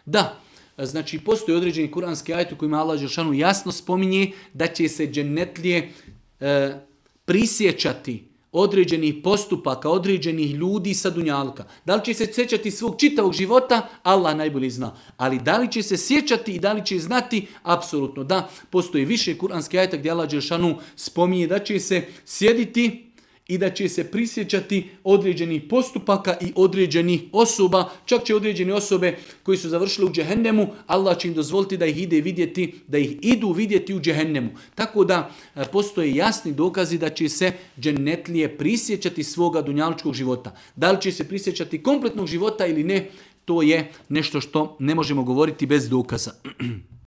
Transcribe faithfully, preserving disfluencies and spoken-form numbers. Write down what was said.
Da, znači postoji određeni kuranski ajet u kojima Allah dželešanu jasno spominje da će se džennetlije e, prisjećati određenih postupaka, određenih ljudi sa dunjalka. Da li će se sjećati svog čitavog života, Allah najbolje zna. Ali da li će se sjećati i da li će znati, apsolutno da. Postoji više kuranskih ajeta gdje Allah dželešanu spominje da će se sjediti i da će se prisjećati određenih postupaka i određenih osoba. Čak će određene osobe koji su završili u džehennemu, Allah će im dozvoliti da ih ide vidjeti, da ih idu vidjeti u džehennemu. Tako da postoje jasni dokazi da će se džennetlije prisjećati svoga dunjalučkog života. Da li će se prisjećati kompletnog života ili ne, to je nešto što ne možemo govoriti bez dokaza.